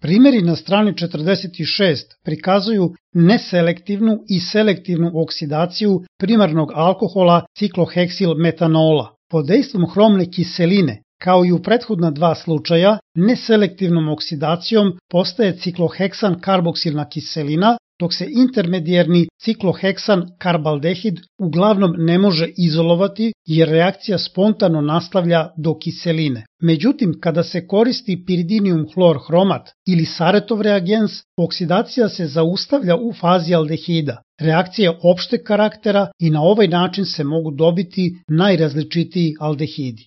Primjeri na strani 46 prikazuju neselektivnu i selektivnu oksidaciju primarnog alkohola cikloheksilmetanola. Pod dejstvom hromne kiseline, kao i u prethodna dva slučaja, neselektivnom oksidacijom postaje cikloheksan karboksilna kiselina, dok se intermedijerni cikloheksan karbaldehid uglavnom ne može izolovati jer reakcija spontano nastavlja do kiseline. Međutim, kada se koristi piridinium hlor hromat ili Saretov reagens, oksidacija se zaustavlja u fazi aldehida. Reakcija je opšteg karaktera i na ovaj način se mogu dobiti najrazličitiji aldehidi.